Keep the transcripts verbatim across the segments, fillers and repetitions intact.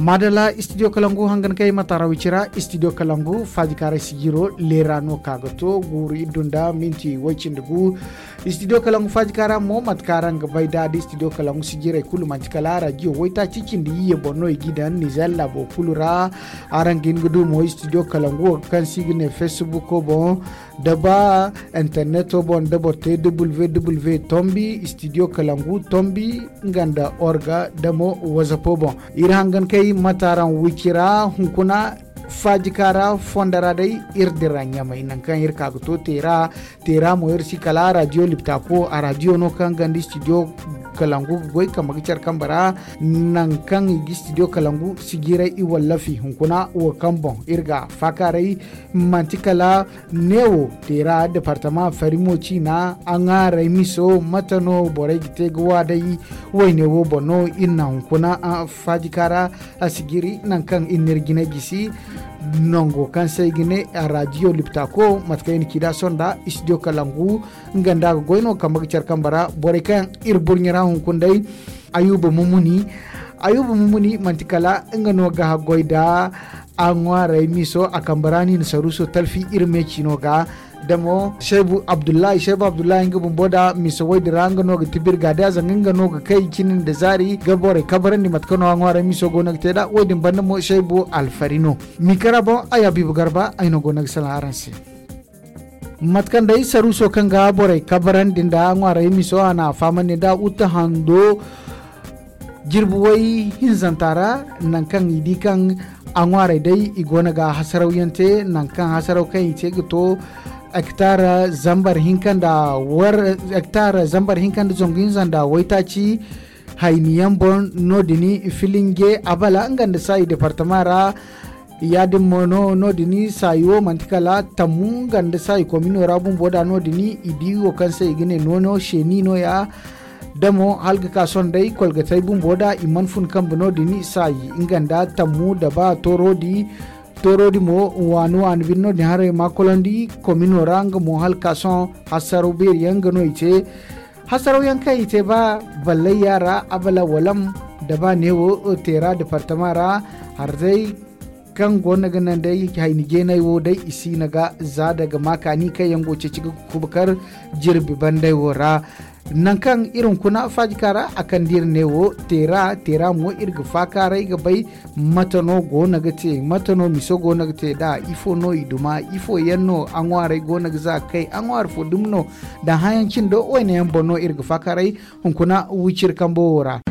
Madalla, studio kalangu hangan kay mataara wicira. Studio kalangu faaji kaaray sijiro leera no ka ga to guuru iddu nda minti way cindi gu. Studio kalangu faaji kaara mo mate kaŋ araŋ ga bay da da studio kalangu sijiray kulu manti kala radio waytaaci cindi iyye boŋ no i g'i daŋ nizer laabo kulu ra. Araŋ ga hin ga du mo studio kalangu wo kaŋ se i ga ne facebook boŋ da ba interneto boŋ da boro te www tombi studio kalangu tombi nga nda orga da mo whatsapp boŋ. Iri hangan kay mataaraŋ wicira hunkuna faaji kaara fondo ra day iri dira ɲamay nangu kaŋ iri ka ga to teera. Teera mo iri si kala radio liptako a radio no kaŋ ganda studio kalangu ga goy kambe ga care kambe ra. Nangu kaŋ i ga studio kalangu sijiray i wallafi hunkuna wo kaŋ boŋ iri ga faakaaray manti kala neewo teera departama farimo ciina a ŋwaaray miso mate no borey ga te ga waa day. Wayne wo boŋ no iri na hunkuna faaji kaara a si jiri nangu kaŋ iri n'iri jine gisi nango kaŋ se ay ga ne a radio liptako mate kaŋ i na ci da sonda studio kalangu nga nda a ga goy no kambe ga care kambe ra borey kaŋ iri burɲe ra hunkuna day. Ayuba mumuni ayuba mumuni manti kala nga no ga goy da a ŋwaaray miso a kambe ra no i na saruuso talfi iri me ciino ga. Da mo shaybu abdullahi shaybu abdullahi nga bumbo da miso way din ra nga no ga tibir ga da zanga nga no ga kay cine nda zaari ga borey kabarandi mate kaŋ no a ŋwaaray miso go no ga te da way din banda mo shaybu alfari no. Mikara boŋ ay habiibu garba ay no go no ga salaŋ araŋ se. Mate kaŋ day saruuso kaŋ ga borey kabarandi nda ŋwaaray miso a na a fahamandi nda uta hando jirbi way hinzanta ra. Nangu kaŋ i di kaŋ a ŋwaaray day i go no ga hasarawyaŋ te nangu kaŋ hasaraw kaŋ i te ga to hektar zambar hinka nda war hektar zambar hinka nda zangu hinza nda waytaaci hayniyaŋ boŋ. No- din filinge abala nga nda saayi departama ra. Ya- din mo no no- din saayi wo manti kala tammu nga nda saayi komino ra bumbo da no- din i di wo kaŋ se i ga ne noono seeni nooya. Da mo hala ga ka sohõ day kolgatey bumbo da i mana fun kambe no- din saayi nga nda tammu da ba toorodi. Toorodi mo waani waani bine no- din haray ma kolondi komino ra nga mo hala ga ka sohõ hasaraw beeri yaŋ nga no i te. Hasaraw yaŋ kaŋ i te ba ballay yaara abala walam da ba neewo teera departama ra. Harzey kaŋ go no ga naŋ day hayni jeenay wo day i si no ga za daga ma kaani kaŋ yaŋ go ceeci ga kubakar jirbi banday wo ra. Nangu kaŋ iri hunkuna faajika ra a kande iri neewo teera teera mo iri ga faakaaray ga bay mate no go no ga te mate no miso go no ga te nd'a ifo no i duma ifo yaŋ no a ŋwaaray go no ga za ga kay a ŋwaari fo dumi no. Daŋ hayaŋ cindo wayne yaŋ boŋ no iri ga faakaaray hunkuna wiciri kambo wo ra.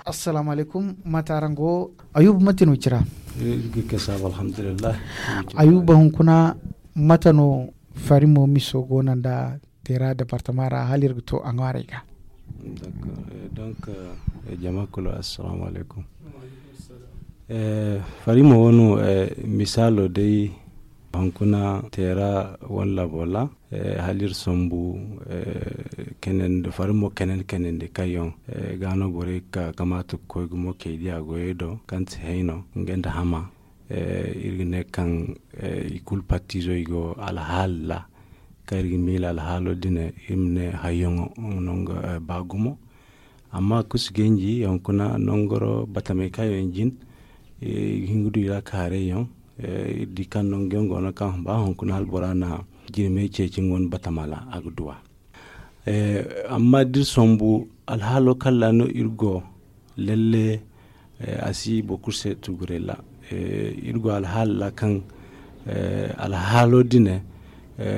Assalaamu alaykum mate araŋ go? Ayuba mate no cira? Ayuba hunkuna mate no farimo miso go no nda teera departama ra hala iri ga to a ŋwaarey ga? Donk jama kulu assalaamu alaykum. Farimo wo no misaalo day hunkuna teera wane laabo ra hala iri sambu kanandi farimo kanandi kanandi kaŋ yaŋ ga no borey ga ka ga maati ga koy gumo kay diya goyey do kaŋ ti hayno nga nda hama. Iri ga ne kaŋ i kulu pattiizo i go alhaala ra kaŋ iri ga miila alhaalo din iri ma ne hayyaŋo nango ba gumo. Amma kusu ganji hunkuna nangoro batamey kaŋ yaŋ jin i ga hin ga du i ra kaaray yaŋ. Iri di kaŋ nangu yaŋ go no kaŋ ba hunkuna hala bora na jirmey ceeci nga wane batama ra a ga duw'a. Amma da iri sambu alhaalo kaŋ ra no iri go lalle a si boro kulu se tuguray ra. Iri go alhaalo ra kaŋ alhaalo din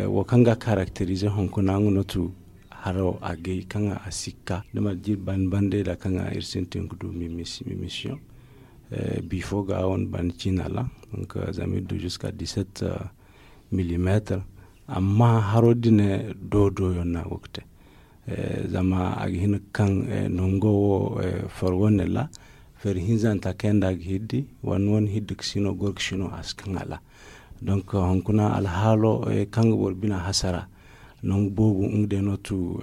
wo kaŋ ga a karakterize hunkuna nga no tu haro agay kaŋ a sikka da mana jiri banda banda ra kaŋ iri sintin ga du mimisiyoŋ. Bifo ga a wane banda ciina ra donc zama iri du jusqu'à dix-sept millimetre. Amma haro din do do yaŋ no a go ga te zama a ga hin ga kaŋ nango wo fari wane ra fari hinzanta kaŋ yaŋ da a ga hiddi wane wane hiddi ga sino goro ga sino a si kaŋ a ra. Donc hunkuna alhaalo kaŋ ga boro bina hasara nangu boobo nga day no tu.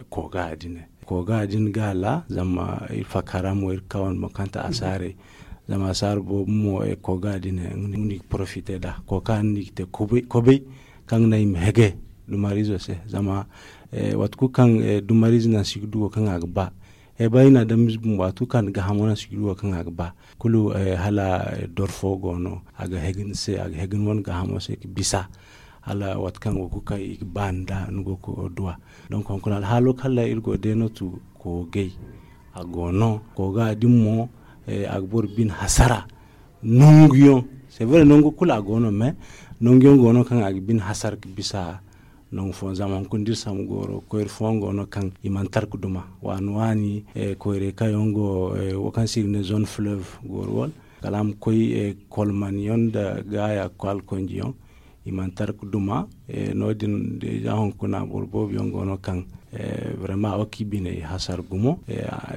Kooga din kooga din ga a ra zama iri faaka ra mo iri ga ka wane boŋ kaŋ ti asaarey. Zama asaara boobo mo kooga din nga no i ga porofite nd'a kooka no i ga te kobay. Kaŋ ga naŋ i ma hege dumariizo se. Zama waati kulu kaŋ dumariize naŋ si ga du wo kaŋ a ga ba, ay ba i na a daŋ mize bumbo, waati kulu kaŋ a na gaahamo naŋ si ga du wo kaŋ a ga ba. Kulu hala doro fo go no a ga hege ni se, a ga hege ni wane gaahamo se ga bisa. Hala waati kaŋ go ga kay i ga ba nda ni go ga duwa. Donk hunkuna alhaalo kaŋ ra iri go day no tu koogay. A go no kooga din mo, a ga boro bine hasara. Nanguyaŋ, c'est vrai, nangu kulu a go no, mais nanguyaŋ go no kaŋ a ga bine hasara ga bisa. Nangu fooyaŋ zama hunkuna da iri sambu gooro koyra fooyaŋ go no kaŋ i mana tara ga duma waani waani. Koyray kaŋ yaŋ go wo kaŋ se i ga ne zone fleuve gooro wala kala a ma koy kolmanyaŋ nda gaaya ga koy alkonjiyaŋ. I mana tara ga duma. No- din déjà hunkuna boro boobo yaŋ go no kaŋ vraiment a go ga i biney hasara gumo.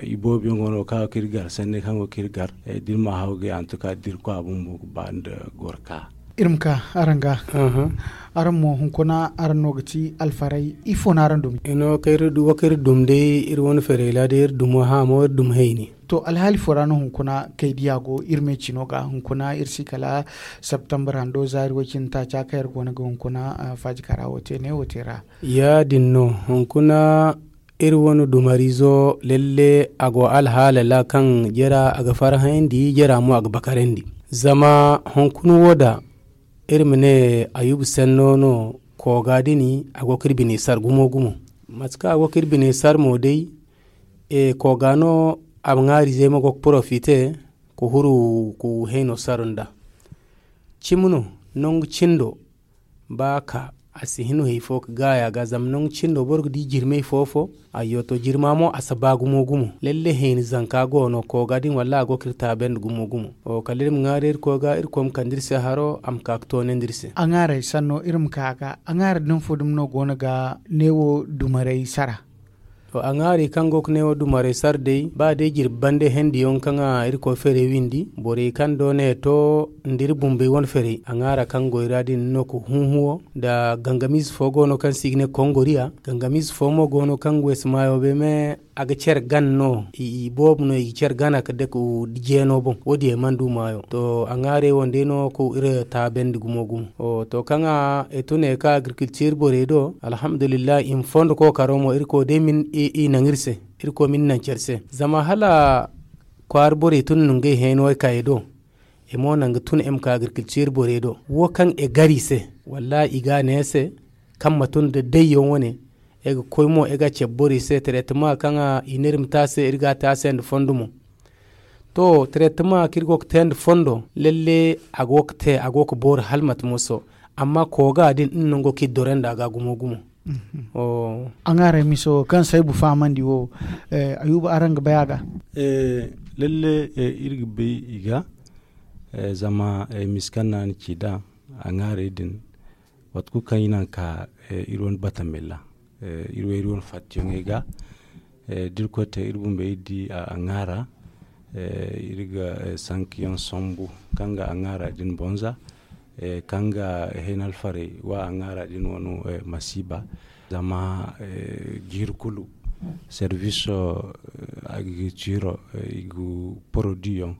I boobo yaŋ go no kaŋ a go ga iri gar sanni kaŋ go ga iri gar. Da iri ma haw ga en tout cas da iri koy a bumbo ga ba nda goro ka. Iri ma ka araŋ ga araŋ mo hunkuna araŋ no ga ti alfaray ifo no araŋ dumi? Wo kaŋ iri dum day iri wane ferey ra day iri dumo haamo iri dumi hayni. To alhaali fo ra no hunkuna kay diya go iri me cino ga hunkuna iri si kala septembre hando zaari wo- cine taaca kaŋ iri go no ga hunkuna faajika ra wo te ne wo te ra. Ya- din no hunkuna iri wane dumariizo lalle a go alhaala ra kaŋ jera a ga farhayandi jera mo a ga bakarandi. Zama hunkuna wo da iri ma ne ayuba senno no kooga dini a go ga iri bine sar gumo gumo. Mate kaŋ a go ga iri bine sar mo day kooga no a ma ŋwaari zey ma go ga porofite ga huru ga hayno sar nda. Cimi no nangu cindo ba ka a si hin hay fo ga gaaya ga zama nangu cindo boro ga di jirmey fo fo. Ayyo to jirma mo a si ba gumo gumo lalle hayni zanka go no kooga din wallaahi a go ga iri taabandi gumo gumo. Kala iri ma ŋwaari iri koy ga iri koy ma kande iri se haro a ma ka ga toonandi iri se. A ŋwaaray sanno iri ma ka ga a ŋwaari din fo dumi no go no ga neewo dumaray sara. To a ŋwaari kaŋ go ga neewo dumaray sara day ba day jirbi bande hendi yaŋ kaŋ a iri koy feeray windi borey kaŋ do ne to nda iri bumbey wane feeray a ŋwaara kaŋ goy ra din no ga hunhuwo. Nda gangamiize fo go no kaŋ se i ga ne kongoriya gangamiize fo mo go no kaŋ weesu maayo bay me a ga care gan no i boobo no i ga care gana ga dake jeeno boŋ wo- din yaŋ mana du maayo. To a ŋwaarey wo- din day no ga iri taabandi gumo gumo. To kaŋ a tune ka agriculture borey do alhamdulillahi i ma fondo kookaro mo iri koy day ma i naŋ iri se. Iri koy ma i naŋ care se zama hala kwaara borey tun no ngey heeno ay kaayey do. I mo naŋ ga tun ay ma ka agriculture borey do wo kaŋ ay gar i se wallaahi i ga a ne ay se kaŋ ma tun nda dayyaŋ wane. Ay ga koy mo ay ga a cabe borey se traitement kaŋ i ne iri ma te a se iri ga a te a se nda fondo mo. To traitement kaŋ iri go ga te nda fondo lalle a go ga te a go ga boori hala mate moso. Amma kooga din nga no go ga iri doro nda a ga gumo gumo. A ŋwaaray miso kaŋ se ay bu fahamandi wo ayuba araŋ ga bay a ga? Lalle iri ga bay i ga. Zama misi kaŋ no a na ci nd'a a ŋwaaray din waati kulu kaŋ i naŋ ka iri wane batamela iri wo iri wane fattiyaŋey ga. Da iri koy te iri bumbey iri di a ŋwaara iri ga sankiyaŋ sambu kaŋ ga a ŋwaara din bonza. Kaŋ ga heen alfarey wa a ŋwaara din wano masiiba. Zama jiiri kulu service agriculture i ga produit yaŋ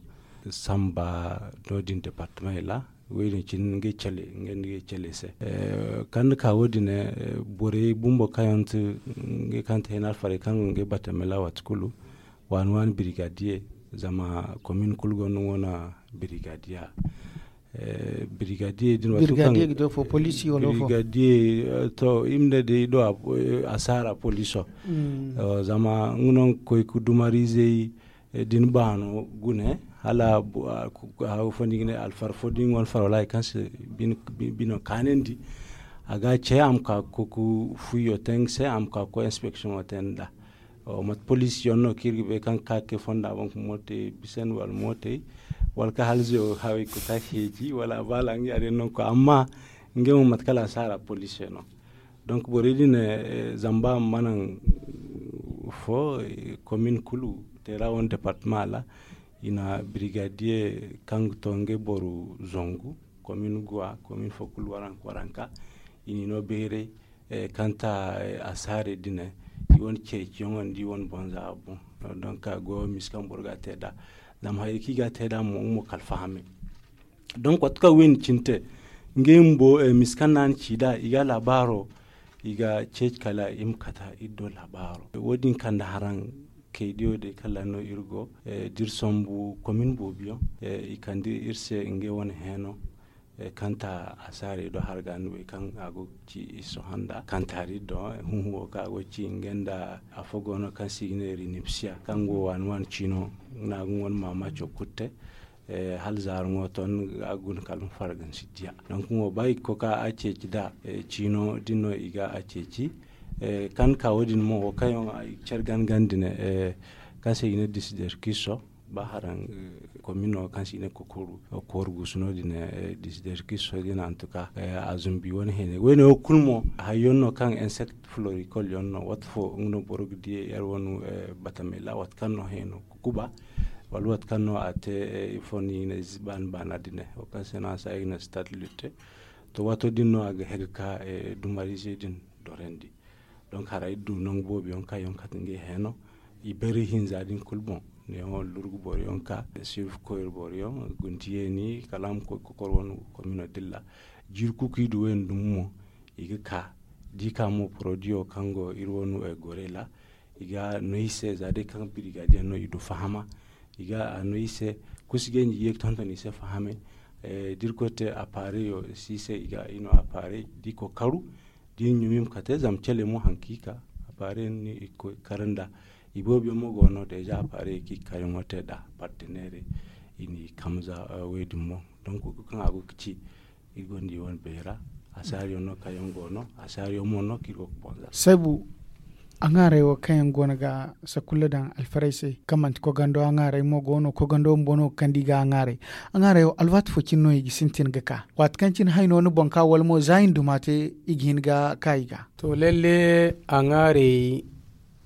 samba no- din departement ra. Wo- din cine ngey cale ngey nda ngey cale se. Kaŋ ni ka wo- din borey bumbo kaŋ yaŋ ti ngey kaŋ ti heen alfarey kaŋ ga ngey batamela waati kulu waani waani brigadier. Zama commune kulu gonda nga wane brigadier. Brigadier din waati kulu kaŋ brigadier ga do fo police wala fo brigadier to i ma ne day do a saara poliso. Zama nga no nga koy ga dumariizey din baano gune hala haw fo no i ga ne alfar fo da nga wane far wala hari kaŋ se bino kaanandi. A ga a ce a ma ka ga koy ga fuyo te nga se a ma ka ga koy inspection wo te nd'a. Mate police yaŋ no kaŋ iri ga bay kaŋ ga ka ga kay fonda boŋ ga mootey bisandi wala mootey wala kaŋ hala zewo hawey ga ka ga heeji wala a baala nga ya- din no ga koy amma ngey mo mate kala a si a ra police no. Donc borey din zamba ma naŋ fo commune kulu te ra wane departement ra i na brigadier kaŋ ga to ngey boro zangu commune guwa commune fo kulu waranka waranka i n'i no bayray. Kanta a saare dine i wane ceeciyaŋo nda i wane bonza boŋ. Donc a go misi kaŋ boro ga a te nd'a zama hayey kaŋ i ga a te nd'a mo nga mo kala fahamay. Donc waati kaŋ wayne cine te Ngey bumbo, misa kaŋ no a na ci nd'a i ga laabaaro, i ga ceeci kala i ma kata iri do laabaaro. Wo- din kande haraŋ kaydiyo day kala no iri go, da iri sambu komin boobo yaŋ, i kande iri se ngey wane heeno, kanta asaarey do harga no wey kaŋ a go ga ci iri sohõ nda kantaari do, huhuwo kaŋ a go ga ci ngey nda afo go no kaŋ se i ga ne rinipsiya kaŋ go waani waani ciino, no a ga ŋwa maamaaco kulu te. Hala zaara ŋwa ton a guna kala ma farga ni si diya. Donk ŋwa ba i ga koy ka a ceeci nd'a, ciino din no i ga a ceeci. Kaŋ ka wo- din mo wo kaŋ yaŋ care gana gana din, kaŋ se i ga ne disiderkiso, ba haraŋ komino kaŋ se i ne kokoru kooru guusu no- din, disiderkiso din antuka, a zumbi wane hene wayne wo kulu mo hayyaŋ no kaŋ insect floricol yaŋ no waati fo nga no boro ga di yar wane batamela waati kaŋ no heno kukuba, wala waati kaŋ no a te ifo no i ga ne baani baana din, wo kaŋ se no a se i ga ne stade lutte. To waato din no a ga hega ka dumarize din dorandi. Donk hara iri du nangu boobo yaŋ kaŋ yaŋ kate ngey heno, i bari hinza din kulu boŋ, neewo lurgu boro yaŋ ka, sirfu koyra boro yaŋ, gunti yeeni kala a ma koy kokor wane komino dilla. Jiiri kuku i du wayne dumi mo, i ga ka da i ka mo porodiyo kaŋ go iri wane gorey ra, i ga no i se za day kaŋ birigadiyaŋ no i du fahama. I ga a no i se kusi ganji ye ga tonton i se fahamay. Da iri koy te apareyo si se i ga i no aparey da i koy karu, da i ɲumi ma kate zama cele mo haŋ kaŋ i ka aparey no i koy kar nda. I boobo yaŋ mo go no deeza aparey kaŋ i ga kar yaŋo te nda parteneerey. I n'i kamza wey din mo donk kaŋ a go ga ci iri gonda i wane beera. Asaariyaŋ no kaŋ yaŋ go no asaariyaŋ mo no kaŋ iri go ga bonza. Saybu, a ŋaaray wo kaŋ yaŋ go no ga sakulla daŋ alfarey se kaŋ manti kogando a ŋaaray mo go no kogando bumbo no ga kande i ga a ŋaaray. A ŋaaray wo alwaati fo cine no i ga sintin ga ka waati kaŋ cine hayno ni boŋ ka wala mo za i na duma te i ga hin ga ka i ga. To lalle, a ŋaaray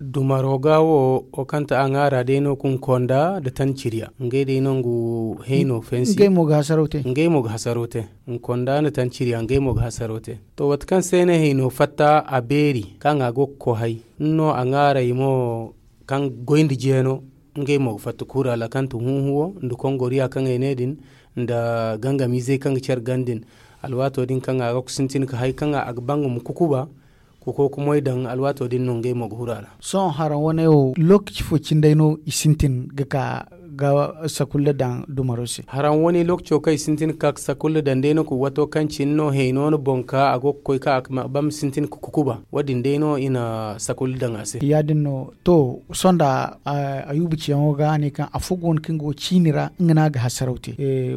dumaro ga wo wo kaŋ ti a ŋaara day no ka ni konda nda tanciriya ngey day no nga hayno fansi. Ngey mo ga hasaro te. Ngey mo ga hasaro te. Ni konda nda tanciriya ngey mo ga hasaro te. To waati kaŋ se ay na hayno fatta a beeri kaŋ a go ga koy hay ni no a ŋaaray mo kaŋ goy nda jeeno. Ngey mo ga fatta kuura ra kaŋ ti huuhuwo nda kongoriya kaŋ ay ne din nda gangamiizey kaŋ ga care ganda din. Alwaato din kaŋ a ga sintin ka hay kaŋ a ga ba nga ma kukuba ka koy ka moy daŋ alwaato din no ngey mo ga huru a ra. Sohõ haraŋ wane wo lookaci fo cindey no i sintin ga ka ga sakulla daŋ dumaro se? Haraŋ wane lookaco kaŋ i sintin ga ka ga sakulla daŋ day no kulu waato kaŋ cine no hayno no boŋ ka a go ga koy ka a ga ba ma sintin ga kukuba wo- din day no i na sakulla daŋ a se. Ya- din no to sohõ nda ayuba ciyaŋo ga a ne kaŋ afo go no kaŋ go ciini ra nga no a ga hasaraw te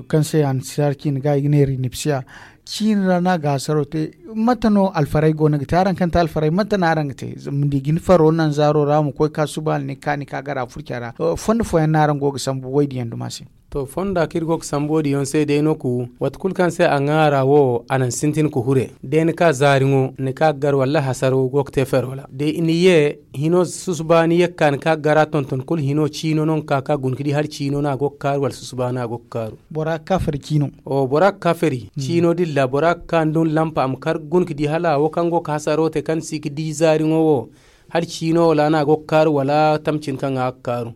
kaŋ se a na si hari ciini ga i ga ne rinipsiya. Ciini ra no a ga hasaraw te. Mate no alfarey go no ga te araŋ kaŋ ti alfarey mate no araŋ ga te? Zama ni di ga ni faro naŋ zaaro ra ma koy ka suba hala ni ga ka ni ka gara furca ra. Fondo fooyaŋ no araŋ go ga sambu wo- din yaŋ duma se. To fonda kaŋ iri go ga sambu wo- din yaŋ se day no ku waati kulu kaŋ se a ŋaara wo a naŋ sintin ka hure day ni ka zaari ŋo ni ka ga gar wallaahi hasaro go ga te fero ra day ni ye hino susuba ni ye ga ka ni ka ga gara tonton kulu hino ciino no ga ka ka guna ga di hala ciino no a go ga kaaru wala susuba no a go ga kaaru. Bora ga ka fari ciino. Bora ga ka fari ciino din ra bora ga ka ni dun lampa a ma kar guna ga di hala wo kaŋ go ga hasaro te kaŋ si ga di zaari ŋo wo hala ciino wala no a go ga kaaru wala tamcin kaŋ a ga kaaru.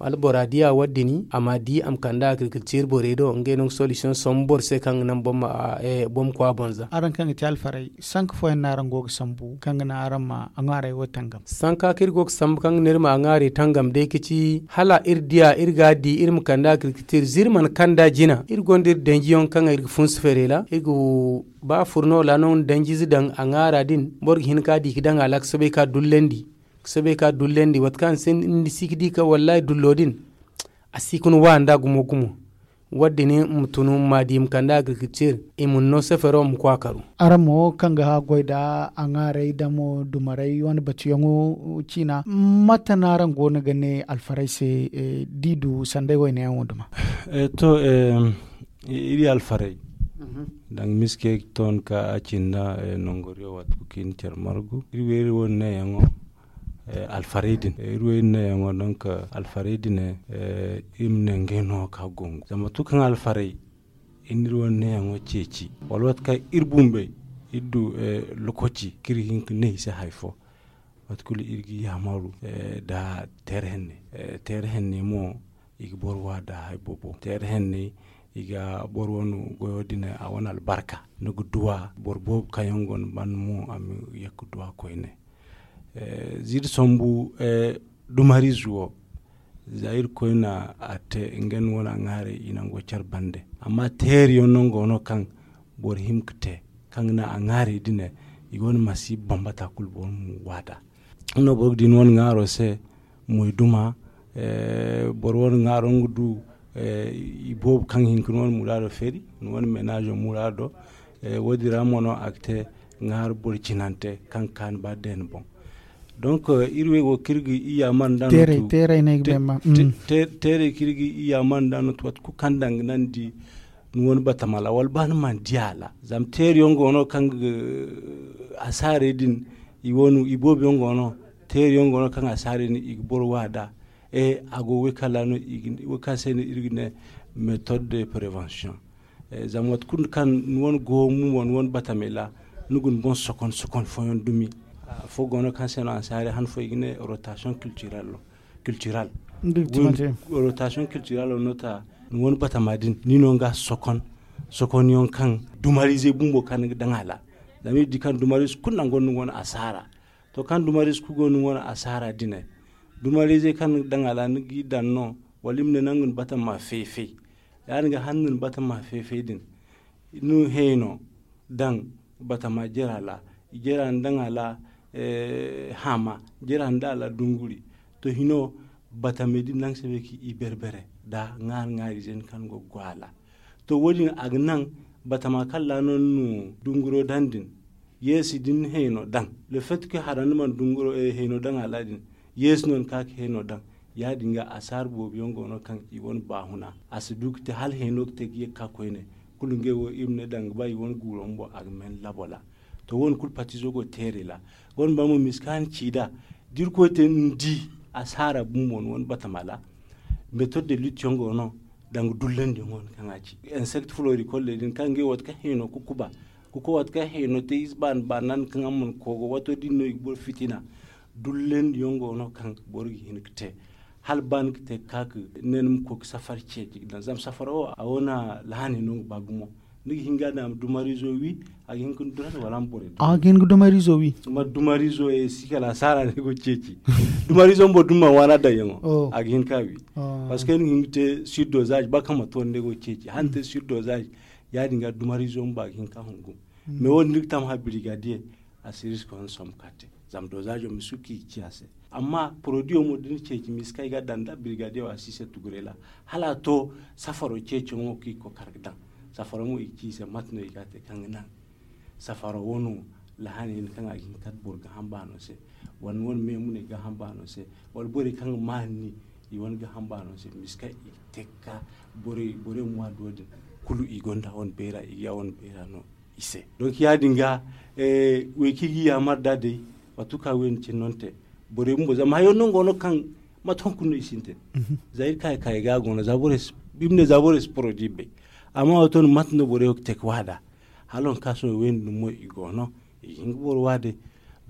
Wala bora diya wo- din a ma di a ma kande agriculture borey do ngey no ga solution sombu boro se kaŋ ga naŋ boro ma kwa bonza. Araŋ kaŋ ga te alfarey sanka fooyaŋ no araŋ go ga sambu kaŋ ga naŋ araŋ ma a ŋwaarey wo tangam? Sanka kaŋ iri go ga sambu kaŋ ga naŋ iri ma a ŋwaarey tangam day ga ci hala iri diya iri ga a di iri ma kande agriculture za iri mana kanda jina iri gonda iri danjiyaŋ kaŋ iri ga funsu feerey ra iri ga ba furno ra no ni danjize daŋ a ŋwaara din boro ga hin ka di ga daŋ a ra ga soobay ka dullandi. Ga soobay ka dullandi waati kaŋ ni si ga di ka wallaahi dullo din a si ga ni wa nda gumo gumo. Wo- din ma tun ma di ma kande agriculture i ma ni no sefero ma kwa karu. Araŋ mo kaŋ ga goy nda a ŋwaarey damo dumarey wane batuyaŋo ciina mate no araŋ go no ga ne alfarey se? Da i du sanday wayne yaŋo duma. To iri alfarey danga miske ton ka a cinda nongoriyo waati kulu kaŋ i na care margu iri wo iri wo ni neeyaŋo. Alfarey din iri wo iri neeyaŋo donk alfarey din iri ma ne ngey no ka gongu zama waati kulu kaŋ alfarey iri na iri wo ni neeyaŋo ceeci wala waati kaŋ iri bumbey iri du lokaci kaŋ iri ga hin ga ne i se hari fo. Waati kulu iri ga yaamaru nda teere henne. Teere henne mo i ga boro wa nda hari boobo teere henne. I ga boro wane goyo din a wane albarka. Ni ga duwa boro boobo kaŋ yaŋ go ni banda mo a ma ye ga duwa koyne. Ziiri sambu dumariize wo za irkoy na a te nga ni wane a ŋwaaray i nango care bande. Amma teeriyaŋ no nga wano kaŋ boro hima ga te kaŋ ga naŋ a ŋwaaray din i go ni masiiba bambata kulu boro ma waada. Nga no boro ga di ni wane ŋwaaro se moyduma. Boro wane ŋwaaro nga du i boobo kaŋ ga hin ga ni wane muraado feeri ni wane meenaazo muraado. Wo- din ra mo no a ga te ŋwaari boro cinante kaŋ ga kaanu ba deene boŋ. Donc iri wo kaŋ iri ga i yaamar nda no teeray kaŋ iri ga i yaamar nda no waati kulu kaŋ daŋ ga naŋ di ni wane batama ra wala ba ni mana di a ra. Zama teeriyaŋ go no kaŋ ga asaarey din i boobo yaŋ go no teeriyaŋ go no kaŋ asaarey din i ga boro waada. A go wo kaŋ se no iri ga ne méthode de prévention. Zama waati kulu kaŋ ni wane go mo ni wane batamey ra ni ga ni boŋ sokon sokon fooyaŋ dumi. Afo go no kaŋ se no ansaari han fo i ga ne rotation culturelle. Rotation culturelle no ta ni wane batama din ni no nga sokon sokon yaŋ kaŋ dumariizey bumbo kaŋ ni ga daŋ a ra. Zama iri di kaŋ dumariize kulu nango ni wane asaara. To kaŋ dumariize kulu go ni wane asaara din dumariizey kaŋ ni ga daŋ a ra ni ga i daŋ no wala i ma ne nangu ni batama feefey. Ya- din ga han ni batama feefey din ni hayno daŋ batama jera ra. Jera ni daŋ a ra haama jera ni daŋ a ra dunguri. To hino batamey din naŋ se bay kaŋ i berbere nda ŋwaari ŋwaari ize din kaŋ go ga go a ra. To wo- din a ga naŋ batama kaŋ ra no ni na dunguro daŋ din yeesi da ni na hayno daŋ le fait que hara ni mana dunguro hayno daŋ a ra din yeesi no ni ka ga hayno daŋ. Ya- din ga asaara boobo yaŋ go no kaŋ i wane baahuna a si du ga te hala hayno ga te ga ye ga ka koyne. Kulu ngey wo iri ma ne daŋ ga ba i wane guuro bumbo a ga men labo ra. To wo- din kulu patiizo go teerey ra. Wo- din ba mo misa kaŋ a na ci nd'a da irkoy te ni di asaara bumbo ni wane batama ra. Méthode de lutte yaŋ go no daŋ ga dullandi yaŋ go no kaŋ a ci insecte floricole din kaŋ ngey waati kaŋ hayno ga kuba ga koy waati kaŋ hayno te ize baana baana kaŋ a mana koogo waato din no i ga boro fitina. Dullandi yaŋ go no kaŋ boro ga hin ga te hala ba ni ga te ga ka ga ne ni ma koy ga safari ceeci ga daŋ zama safaro wo a wane lahaney no ga ba gumo. Ni ga hin ga a daŋ a ma dumariizo wi a ga hin ga ni duran wala a ma borey duran a ga hin ga dumariizo wi. Ma dumariizo ye si kala asaara no ay go ga ceeci. Dumariizo bumbo da ni mana waana daŋ yaŋo a ga hin ka wi. Parce que ni ga hin ga te surdosage ba kaŋ manti wala ni ay go ga ceeci hala ni te surdosage. Ya- din ga dumariizo bumbo a ga hin ka hungu. Mais wo- din ni ga tama ha birigadiye a si riska wane sombu ka te. Zama dosaazo ma si ka i ci a se. Amma porodiyo mo da ni ceeci misa kaŋ i ga a daŋ nda birigadiyo a si i se tugurey ra hala a to safaro ceeciyaŋo kaŋ i ga koy kar ga daŋ. Safaro mo i ci i se mate no i ga a te kaŋ ga naŋ safaro wano lahaney no kaŋ a ga hin ka boro gaaham baano se wala ni wane meemuney gaaham baano se wala borey kaŋ ga maani i wane gaaham baano se misa kaŋ i ga te ga ka borey borey ma ŋwa do- din kulu i gonda wane beera i ga ya wane beera no i se. Donc ya- din ga wey kaŋ i ga yaamar nd'a day waati kulu kaŋ wayna cine no ni te. Borey bumbo zama hayo no go no kaŋ mate hunkuna no i sintin. Za iri kaayi kaayi ga a go no za borey si iri ma ne za borey si porodi bay. Amma waati no mate no borey wo ga te ga waada hala waŋ kaŋ sohõ wayna din mo i go no i ga hin ga boro waade.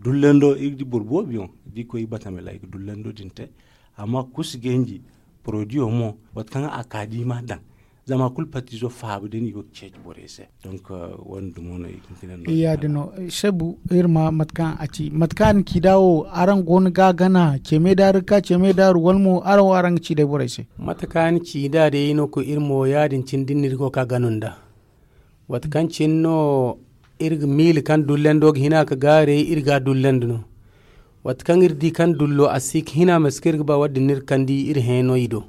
Dullando iri ga di boro boobo yaŋ da i koy i batame ra i ga dullando din te. Amma kusu ganji porodiyo mo waati kaŋ a ka da i m'a daŋ zama kulu patiizo faaba day no i go ga ceeci borey se. Donc wo- din dumo no i ga hin ga ne no. Ya- din no sebu iri ma mate kaŋ a ci mate kaŋ a na ci nd'a wo araŋ go no ga a gana ceemay daaru ga ka ceemay daaru wala mo araŋ wo araŋ ga ci day borey se. Mate kaŋ a na ci nd'a day no ko iri mo ya- din cine da ni na iri go ga ka gana nd'a. Waati kaŋ cine no iri ga miila kaŋ dullando ga hina ga gaaray iri ga a dullandi no. Waati kaŋ iri di kaŋ dullo a si ga hina mate kaŋ iri ga ba wadda din no iri kandi iri hẽeno i do.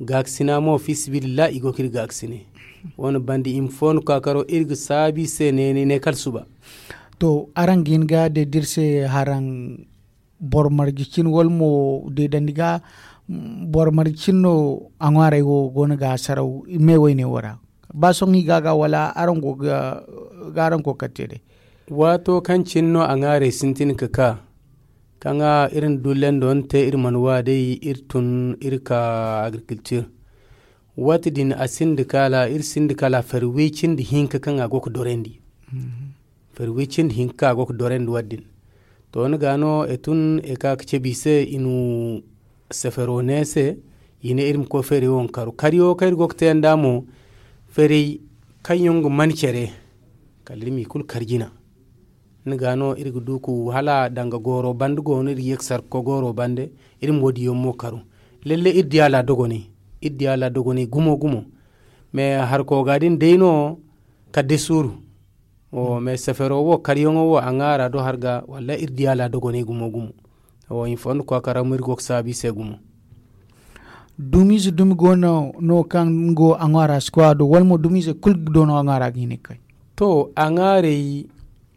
Gaakasina mo fiisabilillahi i go ga iri gaakasine. Wane banda i ma foono kaakaro iri ga saabu i se neene ne kala suba. To araŋ ga hin ga deedi iri se haraŋ boro marje cine wala mo deedandi ga boro marje cine no a ŋwaaray wo go no ga saraw me wayne wo ra? Ba sohõ i ga a ga wala araŋ go ga araŋ kookari te day? Waato kaŋ cine no a ŋwaaray sintin ga ka kaŋ iri na dullando ni te iri mana wa day iri tun iri ka agriculture. Waati din a sinda kaala iri sinda kaala fari way cindi hinka kaŋ a go ga dorandi. Fari way cindi hinka kaŋ a go ga dorandi waati din. To ni ga no e tun e ka ga cabe i se i na sefero ne se. I ne iri ma koy feeray wo ma karu kariyo kaŋ iri go ga te yaŋ da mo. Feeray kaŋ yaŋ ga man care kala iri ma i kulu kar jina. Ni ga no iri ga du ku hala danga gooro bande go no iri ga ye ga sarka koy gooro bande. Iri ma wo- din yaŋ mo karu lalle iri diya laadogonay. Iri diya laadogonay gumo gumo. Mais harko ga din day no kala day suuru. Mais sefero wo karyaŋo wo a ŋwaara do har ga wallaahi iri diya laadogonay gumo gumo. Wo i ma fondo koy a karaŋ mo iri go ga saabu i se gumo. Dumiize dumi go no kaŋ nga wo a ŋwaara si koy a do wala mo dumiize kulu do no a ŋwaara ga hin ga kay? To a ŋwaaray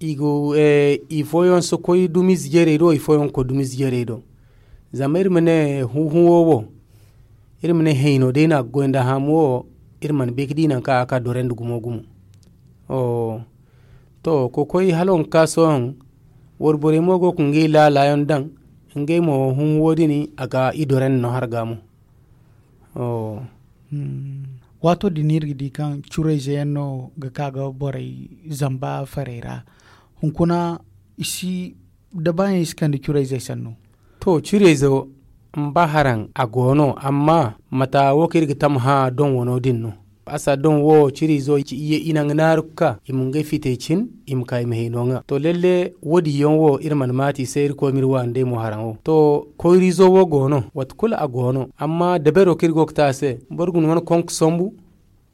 i go i fooyaŋ si koy dumiize jarey do i fooyaŋ ga koy dumiize jarey do. Zama iri ma ne huhuwo wo iri ma ne hayno day no a ga goy nda haamu wo. Iri mana bay ga di nangu kaŋ a ga ka dorandi gumo gumo. To kokoy hala wonka sohõ wayborey mo go ga ngey laala yaŋ daŋ. Ngey mo hunhuwo din a ga i dorandi no har ga mo. Waato din iri ga di kaŋ curayze yaŋ no ga ka ga borey zamba farey ra. Hunkuna i si dabaayaŋ i si kande curayzey sannu. To curayzo mba haraŋ a go no amma mata wo kaŋ iri ga tamhã doŋ wano din no. A sa doŋ wo ciriizo i naŋ ga naaru ga ka i ma ngey fitey cin i ma ka i ma hino ŋwa to lalle wo- din yaŋ wo iri mana maati i se iri koy ma iri waani day mo haraŋo to. Koyriizo wo go no waati kulu a go no amma dabaro kaŋ iri go ga te a se boro ga ni wane konka sambu.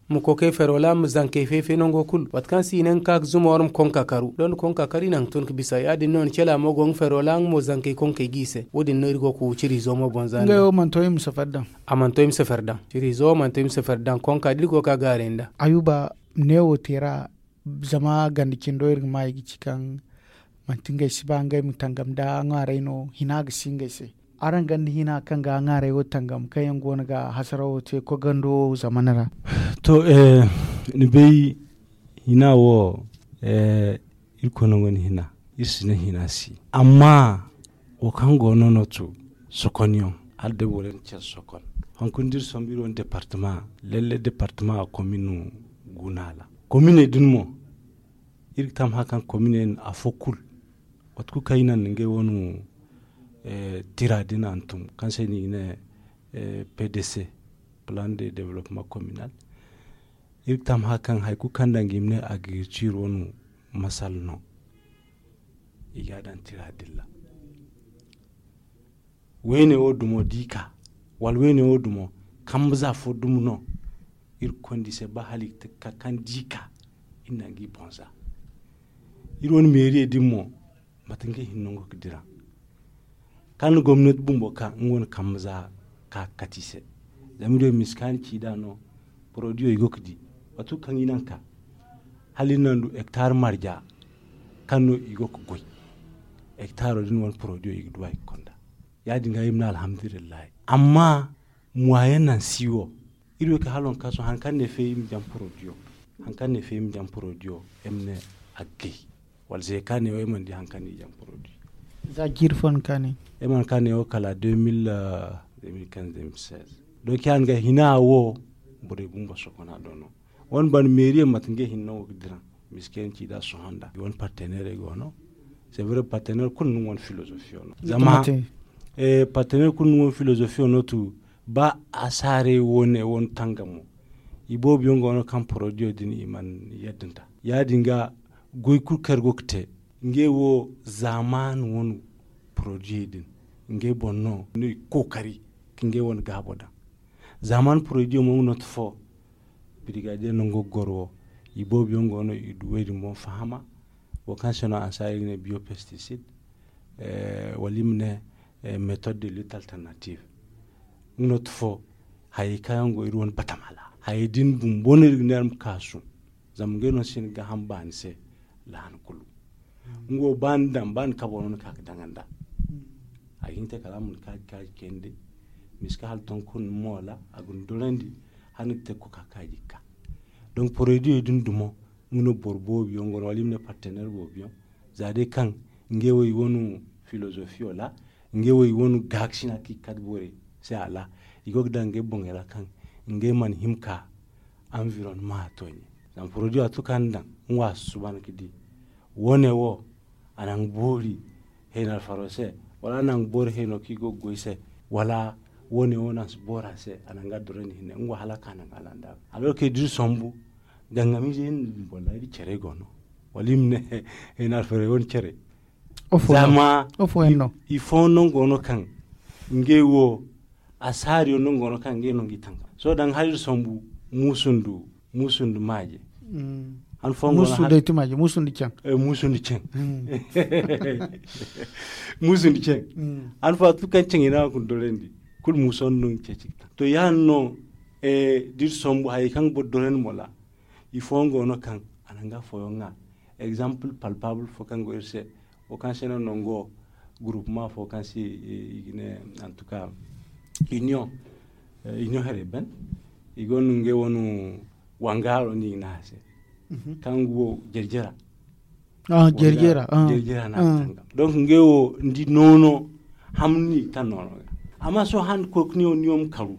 Ma kookay ferola ma zankey fay-fay nango kulu waati kaŋ se i ne nga ka ga zuma war ma konka karu da ni konka karu i na nga tun ga bisa ya- din no ni cela mo go nga ferola nga mo zankey konkey ga i se wo- din no iri go ga wu ciriizo mo bonza ngey wo mana to i ma safari daŋ. A mana to i ma safari daŋ ciriizo mana to i ma safari daŋ konka da iri go ga ka gaaray nda. Ayuba neewo te ra zama ganda cindo iri ga ma i ga ci kaŋ manti ngey si ba ngey ma tangam nda ŋwaaray no hina ga si ngey se. Araŋ ganda hina kaŋ ga ŋwaaray wo tangam kaŋ yaŋ go no ga hasarawo te koy gando wo zamana ra? To ni bay hina wo irkoy no gonda hina. Iri si ne hina si amma wo kaŋ go no no to sokonyaŋ hala day boro yaŋ care sokon. Hunkuna da iri sombu iri wane departama lalle departama a komino guna ra kominey din mo iri ga tammahã kaŋ kominey din afo kulu waati kulu kaŋ i naŋ nda ngey wane tira din hantum kaŋ se no i ga ne pdc plan de development communal. Iri ga tammahã kaŋ hari kulu kaŋ danga i ma ne agriculture wane masala no. I ga a daŋ tira din ra. Wayne wo dumo da i ka wala wayne wo dumo kambe za fo dumo no. Iri ga konda i se ba hala i ga te ga ka kaŋ da i ka iri na nga i boŋ za. Iri wane meeriye din mo mate ngey hinne nango ga dira kaŋ na gomnati bumbo ka nga wane kambe za ka ga kate i se. Zama iri wo miskaani ci nd'a no. Porodiyo i go ga di waati kulu kaŋ i naŋ ka hala iri naŋ du hektar marja kaŋ no i go ga goy. Hektaro din wane porodiyo i ga du a i ga konda. Ya- din ga iri ma ne alhamdulillahi. Amma muwayen naŋ si wo iri wo kay hala waŋ kaŋ sohõ hari kaŋ ne feeri i ma jaŋ porodiyo. Hari kaŋ ne feeri i ma jaŋ porodiyo ay ma ne a ga gay. Wala se kaŋ ne wo ay mana di hari kaŋ ne i jaŋ porodiyo. Za jiiri fo no kaŋ ne ay mana kaŋ ne wo kala deux mille deux mille quinze deux mille seize. Donc ya- din ga hina wo borey bumbo sokona do no. Wane banda meeriye mate ngey hinne no wo ga diraŋ. Miskey ni ci nd'a sohõ nd'a i wane parteneerey go no. C'est vrai parteneer kulu no nga wane filozofiyo no zama parteneer kulu no nga wane filozofiyo no tu. Ba asaarey wo ne wane tangamo i boobo yaŋ go no kaŋ porodiyo din i mana yadda nd'a. Ya- din ga goy kulu kaŋ iri go ga te ngey wo zaaman wane porodiyo din ngey boŋ no no i ga kookari ka ngey wane gaabo daŋ. Zaaman porodiyo mo nga no ti fo. Birigadiye nango ga goro wo i boobo yaŋ go no i du wo- din boŋ fahama. Wo kaŋ se no ansa iri ga ne biyo pesticide wala i ma ne méthode de lutte alternative. Nga no ti fo hayey kaŋ yaŋ go iri wane batama ra hayey din bumbo no iri ga ne iri ma kaasu. Zama ngey no si hin ga gaaham baani se lahan kulu. Nga wo ba ni daŋ ba ni kabo no ni ka ga daŋ nd'a. A ga hin ga te kala a ma ni kaaji kaaji kayandi. Miska hala ton kulu ni moola a ga ni dorandi hala ni ga te ga koka kaaji ga ka. Donc porodiyo din dumo nga no boro boobo yaŋ go no wala i ma ne parteneer boobo yaŋ. Za day kaŋ ngey wo i wane filozofiyo ra ngey wo i wane gaakasina kaŋ i ga kate borey se a ra i go ga daŋ ngey boŋey ra kaŋ ngey mana hima ka anvironnement a tooɲe. Zama porodiyo a to kaŋ ni daŋ nga wo a si suban ga di wo- ne wo a naŋ ga boori hayno alfaro se wala a naŋ ga boori hayno kaŋ i go ga goy se wala Wo- ne wo no a si boori a se, a na nga dorandi hinne nga wo hala a ka naŋ a landa. Alors que da iri sombu, gangamiize yaŋ din boro ra iri care go no, wala i ma ne hina alfarey wane care. Zama ifooyaŋ no go no kaŋ ngey wo, asaariyaŋ no go no kaŋ ngey no ga i tangam. Sohõ daŋ hala iri sombu, muusu nda muusu nda maaje. Muusu nda ceŋ. Muusu nda ceŋ. Han fo a tun kaŋ ceŋ i na a kuna dorandi, kulu muuso no nga ceeci ga taŋ to yaadin no. Da iri sombu hayey kaŋ ga boro dorandi mo ra, ifooyaŋ go no kaŋ a na nga fooyaŋ ŋwa. Exemple palpable fo kaŋ go iri se, wo kaŋ se no nango, groupement fo kaŋ se i ga ne, en tout cas, union, union here ban, i go no ngey wane wangaaro no i ga ne a se, kaŋ go jerjera. Jerjera no a ga tangam. Donc ngey wo ni di noono, hamni kaŋ noono ga. Amma sohõ han koy ga ne wo ni wo ma karu,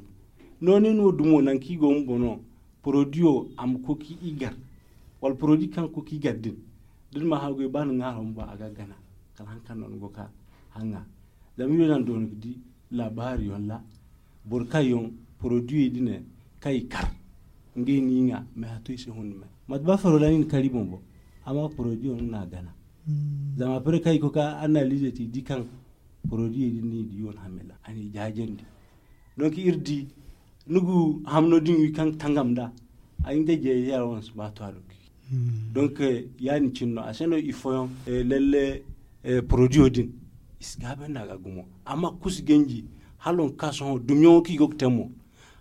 nooni no dumo nangu kaŋ i go ma bono, porodiyo a ma koy ka i gar, wala porodi kaŋ ga koy ka i gar din, da ni ma haggoy ba ni ŋwaaro bumbo a ga gana. Kala han kaŋ no ni go ka haŋa. Zama iri wo naŋ doona ga di laabaari yaŋ ra, boro kaŋ yaŋ porodiyey din kaŋ i kar, ngey no i ŋwa, mais a to i se hundi me. Mate ba faro ra ni na kar i boŋ boŋ, amma porodiyo no na gana. Zama apre kaŋ i koy ka analize te i di kaŋ porodiyey din no i di yaŋ hamila a n'i jaajandi. Donc iri di ni ga hamno din wi kaŋ tangam nd'a, ay nga jay ya wan si ba to a do. Donc yaadin cine no a se no ifooyaŋ, lalle, porodiyo din i si gaabandi a ga gumo. Amma kusu ganji, hala waŋ kaŋ sohõ dumiyaŋo kaŋ i go ga te mo,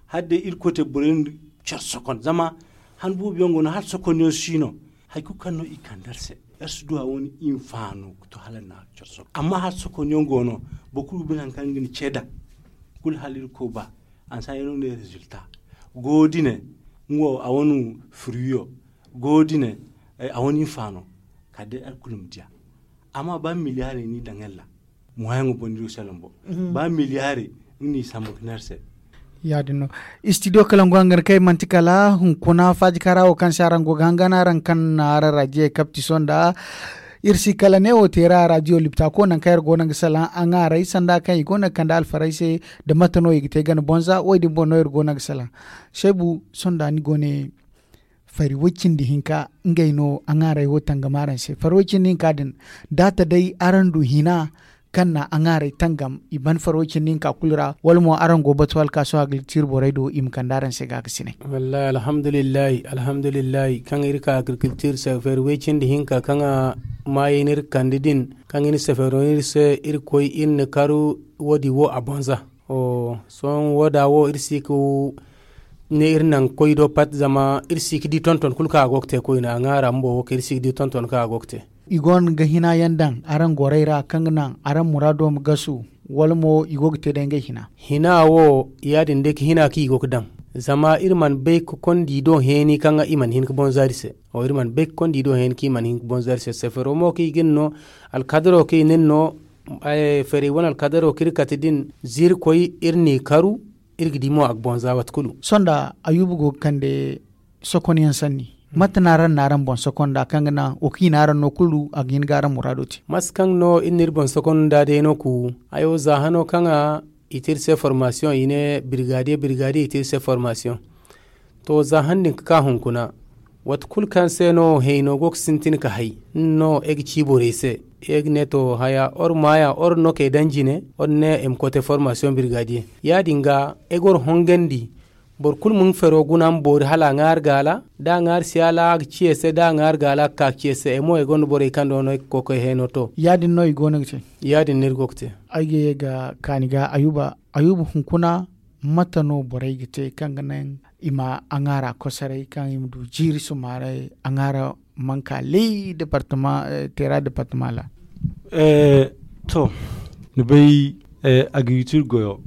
hala day irkoy te borey nda care sokon zama han boobo yaŋ go no hala sokonyaŋ si no. Hari kulu kaŋ no i kande iri se, iri si du a wane hinfaano ga to hala na care sokon amma hala sokonyaŋ go no. Boro kulu ga bine hari kaŋ ga ni ce daŋ, kulu hala irkoy ba. Ansa yaŋ no ne résultat go dine, nga wo a wane fruit yo go dine, a wane hinfaano. Kala day iri kulu ma diya. Amma ba milliarey no i daŋ iri ra, moyen ga boŋ ni du salaŋ boŋ. Ba milliarey nga no i sambu ga ne iri se. Ya- din no. Studio kalangu hangan kaŋ ay manti kala hunkuna faaji kaara wo kaŋ se araŋ go ga hangan araŋ kaŋ na araŋ raajiyey kapti sohõ nda iri si kala ne wo te ra raadiyo liptako nangu kaŋ iri go no ga salaŋ a ŋwaaray sanda kaŋ i go no ga kande alfarey se, da mate no i ga te gana bonza wo- din boŋ no iri go no ga salaŋ. Seebu, sohõ nda ni go ne fari way- cindi hinka ngey no a ŋwaaray wo tangam araŋ se fari way- cindi hinka din. Da a ta day araŋ du hina kaŋ na a ŋwaaray tangam i ban fari way- cindi hinka kulu ra wala mo araŋ go batu alkaaso agriculture borey do i ma kande araŋ se ga ga sinay? Wallahi alhamdulillahi alhamdulillahi kaŋ iri ka agriculture se fari way- cindi hinka kaŋ a maayey no iri ga kande din, kaŋ iri sefero no iri se iri koy iri na karu wo- din wo a bonza. Sohõ wo- da wo iri si ga ne iri naŋ koy do pat zama iri si ga di tonton kulu kaŋ a go ga te koyne a ŋwaara bumbo wo kaŋ iri si ga di tonton kaŋ a go ga te. I go no ga hina yaŋ daŋ araŋ gorey ra kaŋ ga naŋ araŋ muraado ma gasu, wala mo i go ga te day ngey hina? Hina wo ya- din day ga hina kaŋ i go ga daŋ. Zama iri mana bay ga konda i do heeni kaŋ i mana hin ga bonza iri se. Iri mana bay ga konda i do heeni kaŋ i mana hin ga bonza iri se sefero mo kaŋ i ga ni no, alkadaro kaŋ i na ni no, ferey wane alkadaro kaŋ iri kate din, za iri koy iri n'i karu, iri ga di mo a ga bonza waati kulu. Sohõ nda ayuba go ga kande sokonyaŋ sanni, mate no araŋ na araŋ boŋ sokonda kaŋ ga naŋ wo kaŋ i na araŋ no kulu a ga hin ga araŋ muraado te? Mate kaŋ no iri na iri boŋ sokonda day no ku, hayo za hano kaŋ a i te iri se formasiyoŋ i ne birgadiye birgadiye i te iri se formasiyoŋ. To za han din ga ka hunkuna, waati kulu kaŋ se no hayno go ga sintin ga hay, nga no ay ga ci borey se, ay ga ne to haya or maaya or no kay daŋ jine or ne ay ma koy te formasiyoŋ birgadiye. Ya- din ga ay ga war hongandi, boro kulu ma nga fero guna ma boori hala a ŋwaari gaala, da a ŋwaari si hala a ga ci ay se da a ŋwaari gaala a ga ka ga ci ay se ay mo ay gonda borey kaŋ do no ay ga koy ga ay hayno to. Ya- din no iri go no ga te. Ya- din no iri go ga te. Ay ga ye ga kaani ga ayuba ayuba hunkuna, mate no borey ga te kaŋ ga naŋ i ma a ŋwaara kosoray kaŋ i ma du jiiri sumaaray a ŋwaara manka ley departama teera departama ra? To, ni bay, agriculture goyo,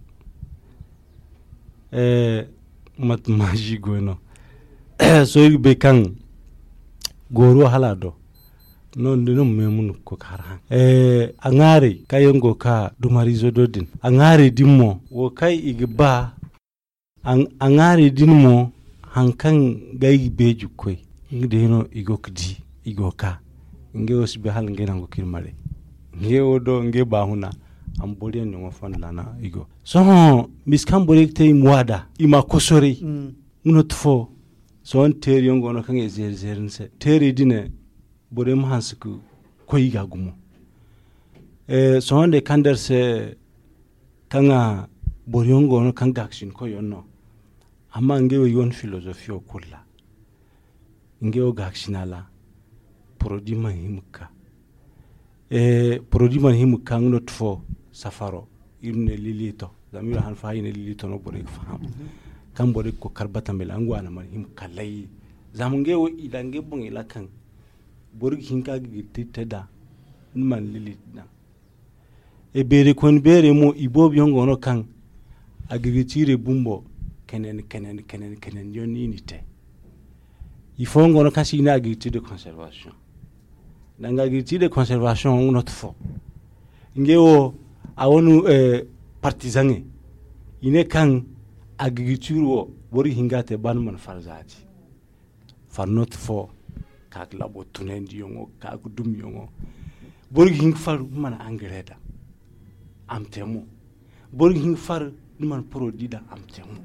mate maazi goy no. Sohõ iri ga bay kaŋ gooro hala a do no ni ma meemu ni ga koy ga har haŋ. A ŋwaarey kaŋ yaŋ go ga ka dumariizo do din a ŋwaarey din mo wo kaŋ i ga ba. A ŋwaarey din mo, hari kaŋ ga ay ga beeji ga koy, nga day no i go ga di, i go ga ka. Ngey wo si bay hala ngey nango kaŋ iri maray. Ngey wo do ngey baahuna. A ma boro yaŋ ɲaŋo fonda laana i go. Sohõ, misa kaŋ borey ga te i ma waada, i ma a kosoray. Nga no tufo. Sohõ teeri yaŋ go no kaŋ i zeeri zeeri ni se. Teeri din, borey ma hanse ka koy i ga gumo. Sohõ day kaŋ dara se kaŋ a boro yaŋ go no kaŋ gaakasin koy yaŋ no. Amma ngey wo i wane filozofiyo kulu ra. Ngey wo gaakasina ra. Porodi mana hima ga ka. Porodi mana hima ga ka nga no tufo. Safaro iri ma ne lilito. Zama iri han fo hay ne lilito no borey ga faham. Kaŋ borey ga koy kar batamey ra nga wane mana hima ga ka lay. Zama ngey wo i daŋ ngey boŋey ra kaŋ boro ga hin ka ga girti te da ni mana lilito daŋ. E beeray koyne beeray mo i boobo yaŋ go no kaŋ agirgitiirey bumbo kenen kenen kenen kenen yaŋ no i n'i te. I fooyaŋ go no kaŋ se i ne agirgitiir de conservation. Danga agirgitiir de conservation nga no tufo. Ngey wo a wane partizaŋey i ne kaŋ agirgitiir wo boro ga hin ga a te ba ni mana farzaati. Farnot fo ka ga labo tunandiyaŋo ka ga dumyaŋo. Boro ga hin ga far ni mana angare daŋ a ma te mo. Boro ga hin ga far ni mana porodi daŋ a ma te mo.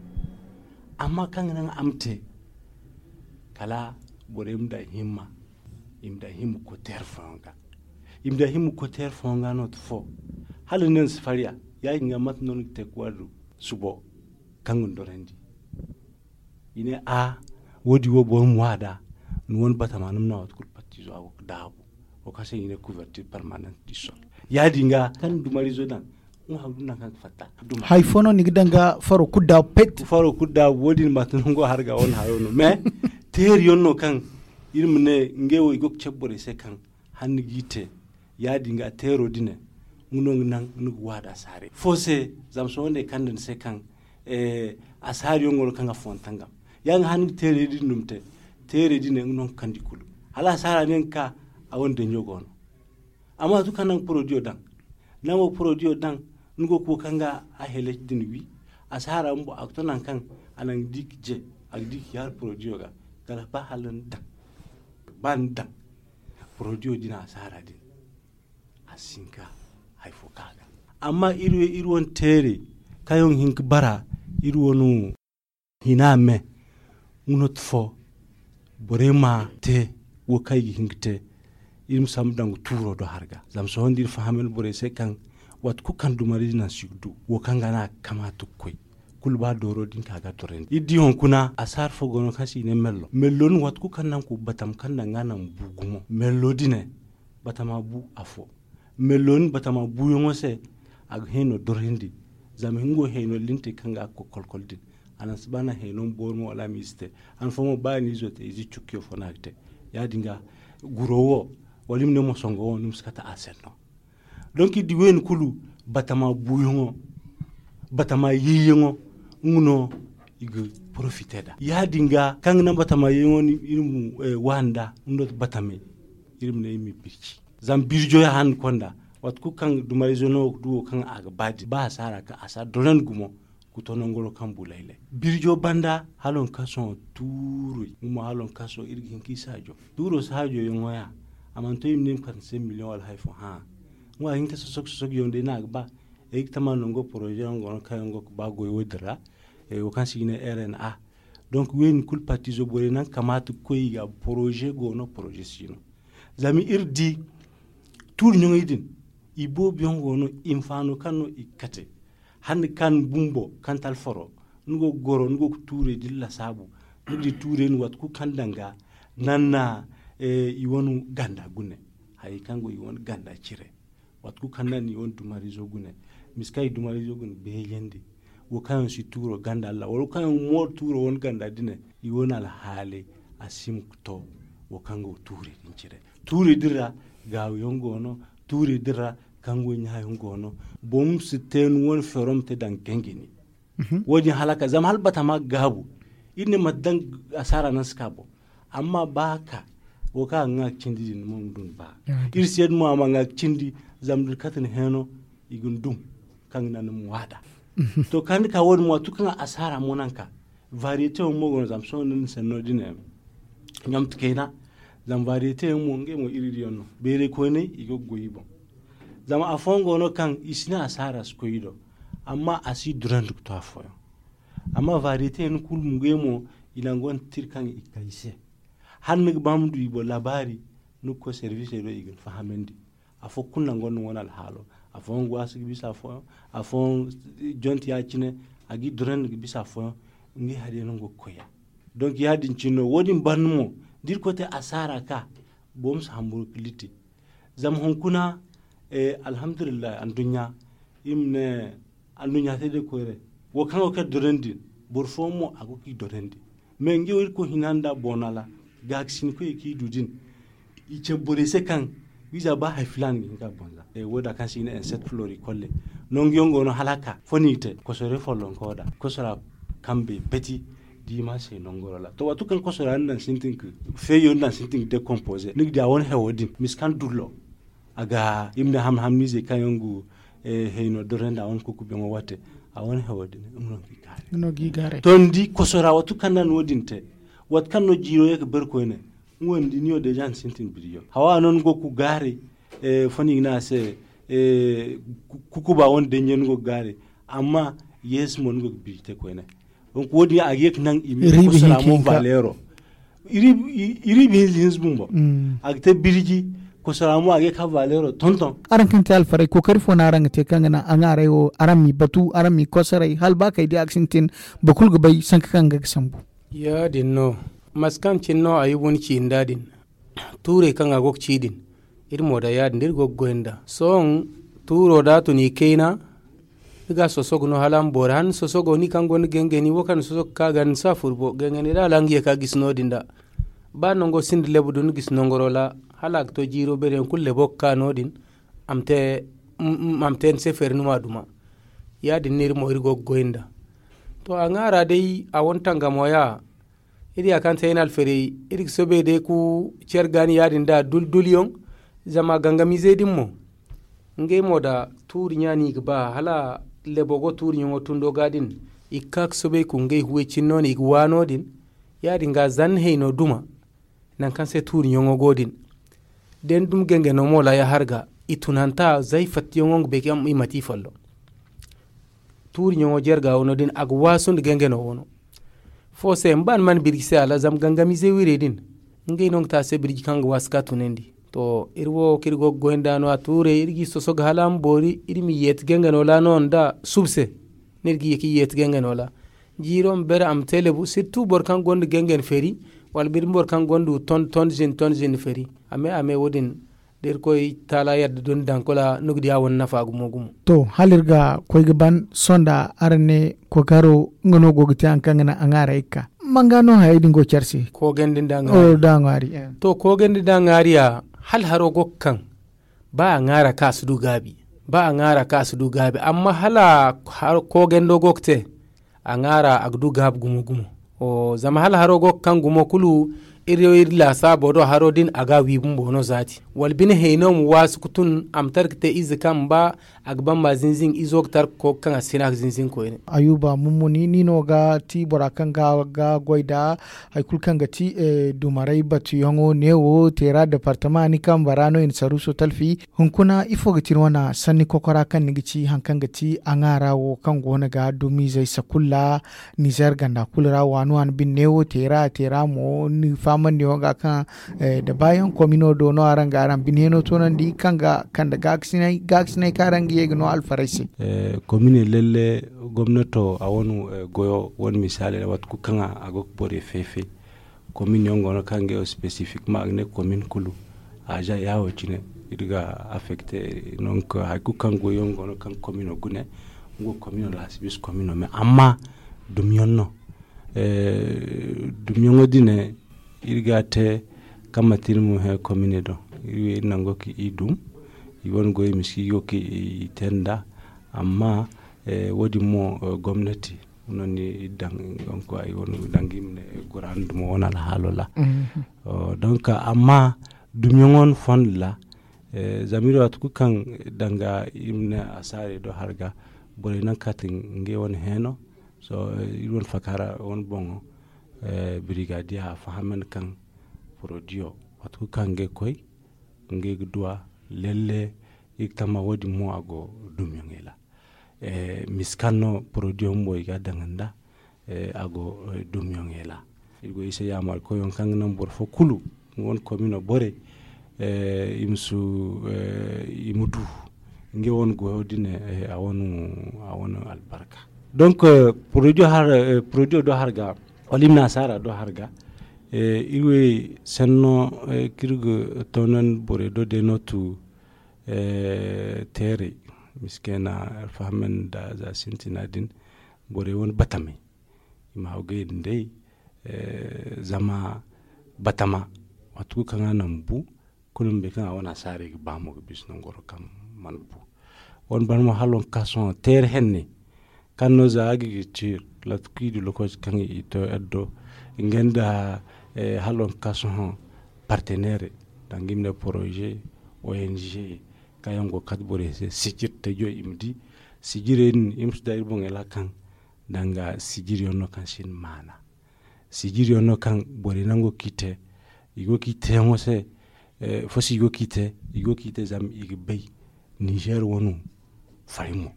Amma kaŋ ga naŋ a ma te kala borey ma daŋ himma. I ma daŋ himma koy teera fooyaŋ ga. I ma daŋ himma koy teera fooyaŋ ga no to fo. Hala ni ne ni si farya ya-din ga mate no ni ga te ga waadu subo kaŋ ga ni dorandi. I ne a wo-din wo boro ma waada ni wane batama ni ma naŋ waati kulu pattizo a go ga daabu. Wo kaŋ se i ne couverture permanente du sol. Ya-din ga kaŋ ni dumarizo daŋ. Hay fo no ni ga daŋ ga faro kulu daabu pet. Faro kulu daabu wo-din ma te nango harga wane hayo no mais teeri yaŋ no kaŋ iri ma ne ngey wo i go ga cabe borey se kaŋ hanni g'i te. Ya-din ga teero din nga no ga naŋ ni ga waada saare fo se. Zama sohõ day kaŋ da ni se kaŋ a saari yaŋ go no kaŋ ga fontangam ya nga hanni ga teerey din dum te. Teerey din nga no ga kandi kulu hala a saara ne nga ka a wane danjo go no. Amma waati kaŋ naŋ porodiyo daŋ naŋ wo porodiyo daŋ ni go ga wo kaŋ ga a heleci din wi. A saara bumbo a ga to naŋ kaŋ a naŋ ga di ga je a ga di ga yaari porodiyo ga kala ba hala ni daŋ ba ni daŋ. Porodiyo din a saara din a si hin ka hari fo ka ga. Amma iri wane teerey kaŋ yaŋ ga hin ga bara iri wane hina me nga no tufo. Borey ma te wo kaŋ i ga hin ga te iri ma sambu daŋ ga tuuro do hari ga zama sohõ da iri fahamay no borey se kaŋ waati kulu kaŋ dumari din naŋ si ga du wo kaŋ ga no a ga kamaata ga koy. Kulu ba dooro din ka ga dorandi iri di hunkuna a saara fo go no kaŋ se i ne mello mello no waati kulu kaŋ naŋ ga koy batama kaŋ naŋ ga naŋ bu gumo mello din ne. Batama bu afo mello ni batama buyaŋo se a ga hayno dorhindi. Zama nga wo hayno linte kaŋ ga a ga koy kolkol din a naŋ si ba naŋ hayno ma boori mo wala a ma ize te. Han fo mo ba a na izo te ize cukkiyo fo no a ga te. Ya-din ga guro wo wala i ma ne mosongo wo ni ma si kate a senno. Donk iri di wayne kulu batama buyaŋo batama yayyaŋo nga no i ga porofite nd'a. Ya-din ga kaŋ ga naŋ batama yayyaŋo iri ma waani nd'a nga no ti batamey. Iri ma ne iri ma i birji zama birjo ya handu konda waati kulu kaŋ dumarizo no wo ga du wo kaŋ a ga ba din ba a si a ra ka a si a dorandi gumo. Ga to nangoro kaŋ bu laylay birjo banda hala waŋ kaŋ sohõ tuurey nga mo hala waŋ kaŋ sohõ iri ga hin ka i saajo. Tuuro saajoyaŋo ya a mana to i ma ne i ma kate ni se miliyoŋ wala hari fo hã. Nga a hin ka sosok sosok yaŋ day no a ga ba. Ay ga tama nango poroze yaŋ go no kaŋ yaŋ go ga ba goy wo-din ra. Wo kaŋ se i ne rna. Donk wayne kulu partizo borey naŋ kamaata ga koy i ga poroze go no poroze si no. Zama iri di tuuri ɲaŋey din i boobo yaŋ go no hinfaano kaŋ no i ga kate. Hande kaŋ bumbo kaŋ talfaro ni go ga goro ni go ga tuurey din lasaabu. Ni di tuurey no waati kulu kaŋ daŋ ga naŋ na i wane ganda gune. Hayey kaŋ go i wane ganda cire waati kulu kaŋ naŋ na i wane dumarizo gune. Misa kaŋ i dumarizo gune beejandi wo kaŋ yaŋ si tuuro ganda Allah wala wo kaŋ yaŋ mooro tuuro wane ganda dine. I wane alhaaley a si hima ga to wo kaŋ go tuurey din cire. Tuurey din ra gaawiyaŋ go no. Tuurey din ra kango ɲaayaŋ go no. Boro ma si te ni wane feero ma te daŋ gangani. Wo-din halaka zama hala batama ga gaabu. Iri ne mate daŋ asaara naŋ si ka boŋ. Amma ba ka wo kaŋ a ga ŋwa ga cindi din mo ma du ni ba. Iri si yadda mo a ma ŋwa ga cindi. Zama da ni kate ni heeno i ga ni dum kaŋ ga naŋ ni ma ŋwa nd'a. To kaŋ ni ka wo-din mo waati kulu kaŋ asaara mo naŋ ka variyete yaŋ mo go no zama sohõ da ni sanno din ɲamte kayna. Zama variyete yaŋ mo ngey mo iri iri yaŋ no beeray koyney i go ga goy i boŋ. Zama afooyaŋ go no kaŋ i si ne asaara si koy i do, amma a si durandi ga to afooyaŋ. Amma variyete yaŋ kulu ngey mo, i naŋ gonda tira kaŋ i kay se. Hala ni ga ba ma du i boŋ laabaari, ni ga koy servisey do i ga ni fahamandi. Afo kulu naŋ gonda wane alhaalo. Afooyaŋ ga waasi ga bisa afooyaŋ, afooyaŋ jonti ya- cine, a ga i durandi ga bisa afooyaŋ. Ngey hari yaŋ no go ga koy ya. Donc ya- din cine no wo- din banda mo, da irkoy te asaara ka, boro ma si hamburu ga litti. Zama hunkuna, alhamdulillahi anduɲɲa, i ma ne anduɲɲa te day koyray. Wo kaŋ go ga kay dorandi din, boro fooyaŋ mo a go ga i dorandi. Mais ngey wo irkoy hina nda boona ra, gaakasinkoyey kaŋ i du din, i cabe borey se kaŋ wiiza ba hari filaana ga hin ga a banza. Wo- da kaŋ se i ne insect floricole, nangu yaŋ go no hala a ka fo no i ga te kosoray follonko da kosora kambey peti. Diima se nangoro ra to waati kaŋ kosora ni daŋ sintin ga feeyo ni daŋ sintin ga dekompoze ni ga di a wane hewo din misi kaŋ dullo. A ga i ma ne hamni hamniizey kaŋ yaŋ ga hayno dorandi a wane kukubeŋo waate. A wane hewo din nga no ga i gaaray. To ni di kosora waati kaŋ na no- din te, waati kaŋ no jiiro ye ga bari koyne, nga wo ni di ni wo deeza ni sintin birjo hawa no ni go ga gaaray. Fo no i ga ne a se, kukuba wane danjo ni go ga gaaray. Amma yeesi mo ni go ga birji te koyne. Donc wo- din a ga ye ga naŋ i ma kosora mo valeero. Iri bi hinza hinza bumbo a ga te birji. Kosora mo a ga ye ga valeero tonton. Araŋ kaŋ te alfaray kookari fo no araŋ ga te kaŋ ga naŋ a ŋaaray wo araŋ m'i batu araŋ m'i kosoray hala ba kay di a ga sintin. Boro kulu ga bay sanka kaŋ ga ga sambu. Ya- din no. Mate kaŋ cine no ayuba ni ci nda din, tuurey kaŋ a go ga ci din, iri mo da ya- din da iri go ga goy nda sohõ. Tuuro da a tun i kayna, ni ga a sosogu no hala a ma boori hala ni sosogo ni kaŋ gonda gangani wo kaŋ ni sosogu ga ka ga ni si a furbo gangani da hala nga ye ka gisi no- din da. Ba nango sinda lebu da ni gisi nangoro ra, hala a ga to jiiro beeri yaŋ kulu lebo ga ka no- din. A ma te ni se feeri ni ma duma. Ya- din no iri mo iri go ga goy nda. To a ŋwaara day a wane tangamo ya. Iri ya kaŋ te ay na alferey iri ga soobay day ga care gaani ya- din da dul dul yaŋ. Zama gangamiizey din mo, ngey mo da tuuri ɲa no i ga ba hala lebo go tuuri ɲaŋo tundo ga din. I ga ka ga soobay ga ngey huway cine no no i ga waano din. Ya- din ga zanna hayno duma. Nangu kaŋ se tuuri ɲaŋo go din. Da ni dum gangano mo ra ya har ga i tunanta zay fatta yaŋo nga bay kaŋ i mate i folloŋ. Tuuri ɲaŋo jarga wano din a ga waasu nda gangano wano. Fo se ma ba ni mana birji se a la zama gangamiizey wirey din. Ngey no ga te a se birji kaŋ ga waasu ka tunandi. To iri wo kaŋ iri go ga goy nda no a tuurey iri g'i sosogu hala a ma boori iri m'i yeeti gangano ra no nda suba se. No iri ga ye k'i yeeti gangano ra. Jiiro ma bere a ma te lebu sirtu boro kaŋ gonda gangan feeri, wala biri boro kaŋ gonda ton ton zin ton zin feeri. A me a me wo- din da irkoy taala yadda da ni daŋ kula ni ga di a wane nafa gumo gumo. To hala iri ga koy ga ban sohõ nda araŋ ne kookaro nga no go ga te hari kaŋ ga naŋ a ŋwaarey ga ka. Manga no hayey din go care se? Koogandi nda a ŋwaari. To koogandi nda a ŋwaari ya hala haro go ga kaŋ. Ba a ŋwaara kaŋ a si du gaabi. Ba a ŋwaara kaŋ a si du gaabi amma hala koogando go ga te. A ŋwaara a ga du gaabi gumo gumo. Zama hala haro go ga kaŋ gumo kulu iri iri laasaabo do haro din a ga a wi bumbo no zaati wala bine hayno ma waasu ga tun a ma tara ga te ize kaŋ ba a ga ban ma zinzin izo ga tara ga koy ga kaŋ a si hin a ga zinzin koyne. Ayuba mummuni ni no ga ti bora kaŋ ga goy nda hari kulu kaŋ ga ti dumaray batuyaŋo neewo teera departama ni kambe ra no i na saruuso talfi. Hunkuna ifo ga ti ni wane sanni kokora kaŋ ni ga ci hari kaŋ ga ti a ŋwaara wo kaŋ go no ga dumiizey sakulla nizer ganda kulu ra waani waani bine neewo teera teera mo ni fahamandi yaŋo ga kaŋ da baayaŋ komino do no araŋ ga araŋ bine heno toonandi kaŋ ga kande gaakasinay kaŋ araŋ ga ye ga no alfarey se. Komine lalle gomnato a wane goyo wane misaali ra waati kulu kaŋ a go ga borey fay-fay. Komin yaŋ go no kaŋ ngey wo spesifik ma a ga ne komin kulu a za yaawo cine. Iri ga afekte. Hari kulu kaŋ goy yaŋ go no kaŋ komino gune nga wo komino laasi bisa komino me amma dumyaŋ no. Dumyaŋo din iri ga a te kaŋ manti iri ma hẽ komine do. Iri nango kaŋ i dum i wane goy miski go kaŋ i te nda. Amma wo- din mo gomnati no ni daŋ i ma ne guraani dumo wane alhaalo ra. Donc amma dumyaŋo wane fondo ra zama iri waati kulu kaŋ danga iri ma ne asaarey do hari ga borey naŋ kaati ngey wane hẽeno. Sohõ iri wane fakaara wane boŋo birigadiya a fahamandi kaŋ porodiyo waati kulu kaŋ ngey koy ngey ga duw'a lalle. Iri ga tamma wo- din mo a go dumyaŋey ra. Misa kaŋ no porodiyo bumbo i ga a daŋ nd'a, a go dumyaŋey ra. Iri go iri se yaamar koyyaŋ kaŋ ga naŋ boro fo kulu, nga wane komino borey, i ma si i ma du ngey wane goyo din. A wane albarka. Donc porodiyo do har ga, wala i ma ne asaara do har ga. Iri wo senno kaŋ iri ga toonandi borey do day no tu teerey, miskena alfahamen nda za sintina din, borey wane batamey i ma hawgay din day. Zama batama waati kulu kaŋ a naŋ bu, kulu ma bay kaŋ a wane asaarey ga ba mo ga bisa nangoro kaŋ mana bu. Wane banda mo hala waŋ ka sohõ teeri henne kaŋ no za agriculture, latkui du lokaci kaŋ i to eri do nga nda hala waŋ ka sohõ partenaire, danga i ma ne poroze, ong, kaŋ yaŋ go ga kate borey se sijiri tajo i ma di. Sijirey din i ma si da iri boŋey ra kaŋ danga sijiriyaŋ no kaŋ sinda maana. Sijiriyaŋ no kaŋ borey nango kaŋ i te i go kaŋ i teyaŋo se. Fosi i go kaŋ i te i go kaŋ i te zama i ga bay nizer wano fari mo.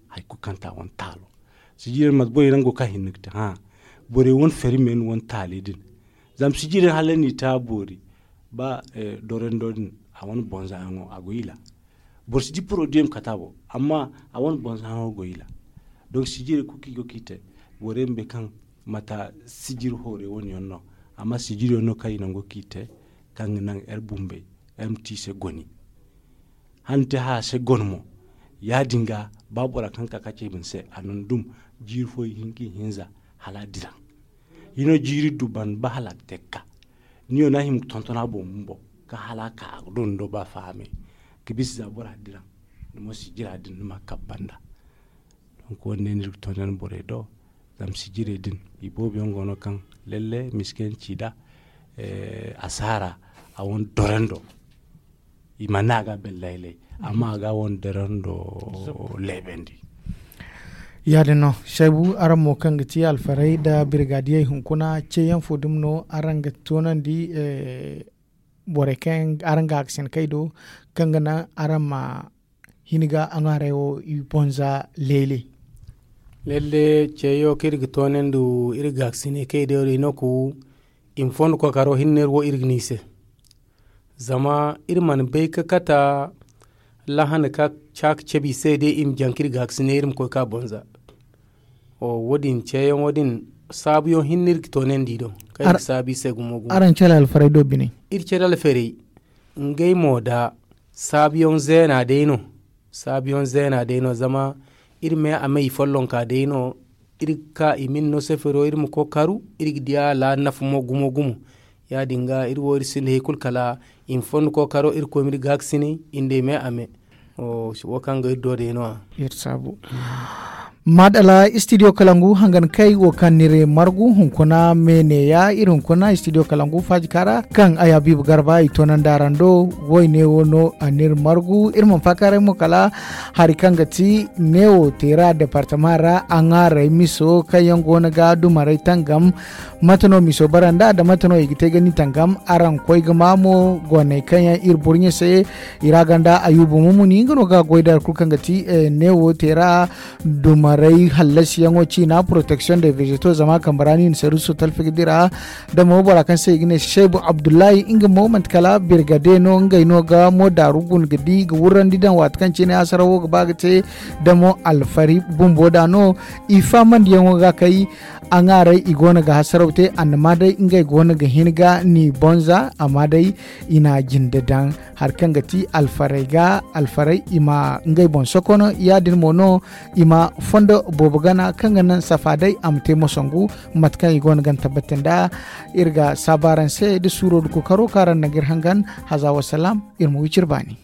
Hari kulu kaŋ ta wane taalo sijiri yaŋ mate borey nango kaŋ hinne ga te hã. Borey wane fari me no wane taali din. Zama sijiri yaŋ hala ni ta boori ba dorando din a wane bonza yaŋo a go ila. Boro si di porodiyo ma kata bo amma a wane bonza yaŋo go ila. Donc sijiri yaŋ kulu kaŋ i go kaŋ i te borey ma bay kaŋ mata sijiri hoorey wane yaŋ no. Amma sijiri yaŋ no kaŋ i nango kaŋ i te kaŋ ga naŋ eri bumbey eri ma te i se goni. Hane te haya se goni mo. Ya- din ga ba bora kaŋ ka ka ce i bine se a na ni dum jiiri fo i hinka i hinza hala a diraŋ. Hino jiiri du banda ba hala a ga te ga ka ni yo no a hima ga tonton a boŋ bumbo kaŋ hala a ka a ga du ni do ba fahamey ga bisa za bora diraŋ. Ni mo sijira din ni ma a kabu banda. Donk wo- din day no iri ga tonton borey do. Zama sijirey din i boobo yaŋ go no kaŋ lalle miskiyanci da asaara a wane dorando. I mana ne a ga a belle laylay amma a ga a wane dorando leebandi. Ya- din no saybu araŋ mo kaŋ ga ti alfaray nda birgadiyey hunkuna ceeyaŋ fo dumi no araŋ ga toonandi borey kaŋ araŋ ga a ga sina kay do kaŋ ga naŋ araŋ ma hin ga a ŋwaaray wo i bonza leele. Lalle ceeyo kaŋ iri ga toonandi iri ga a ga sina kay do i no ku i ma fondo kookaro hinne iri wo iri ga ne i se. Zama iri mana bay ga kata lahana ka caaka cabe i se day i ma jaŋ kaŋ iri ga a ga sina iri ma koy ka bonza. Wo- din ceeyaŋo din saabuyaŋ hinne iri ga toonandi i do kaŋ iri ga saabu i se gumo gumo. Araŋ care alfaray do bine iri care alfaray ngey mo da saabuyaŋ zeena day no. Saabuyaŋ zeena day no zama iri me a me i follonka day no. Iri ga ka i ma iri no sefero iri ma koy karu iri ga di a ra nafa mo gumo gumo. Ya- din ga iri wo iri sinda hari kulu kala i ma fondo kookaro iri koy ma iri gaakasinay i nda i me a me. Wo kaŋ ga iri do day no- ya. Iri saabu maadala istidiyo kalangu hangan kay wo kaŋ ni iri margu hunkuna me neeya iri hunkuna istidiyo kalangu faajika ra kaŋ ay habiibu garba i toonandi araŋ do. Woyne wo no a n'iri margu iri mana faakaaray mo kala hari kaŋ ga ti neewo teera departama ra a ŋwaaray miso kaŋ yaŋ go no ga dumaray tangam. Mate no miso bara nd'a da mate no i ga te ga ni tangam araŋ koy ga ma mo goonay kaŋ yaŋ iri burɲe se. I ra ganda ayuba mumuni nga no ga goy da hari kulu kaŋ ga ti neewo teera dumaray hallasiyaŋo ciina protection de vegeto zama kambe ra no i na saruuso talfi ga dira. Da mo bora kaŋ se i ga ne seebu abdullahi nga mo manti kala birgade no ngey no ga mo daaru guna ga di ga wurrandi daŋ waati kaŋ ciine hasarawo ga ba ga te. Da mo alfari bumbo da no i faamandiyaŋo ga kay. A ŋaaray i go no ga hasaraw te annama day ngey go no ga hin ga ni bonza amma day i na jinde daŋ hari kaŋ ga ti alfaray ga alfaray i ma ngey boŋ sokono ya- din mo no i ma fondo boobo gana kaŋ ga naŋ safa day a ma te mosangu. Mate kaŋ i go no ga ni tabbati nd'a iri ga saabu araŋ se da suuro da kookaro kaŋ araŋ na ga iri hangan haza wasalaam. Iri ma wi cire baani.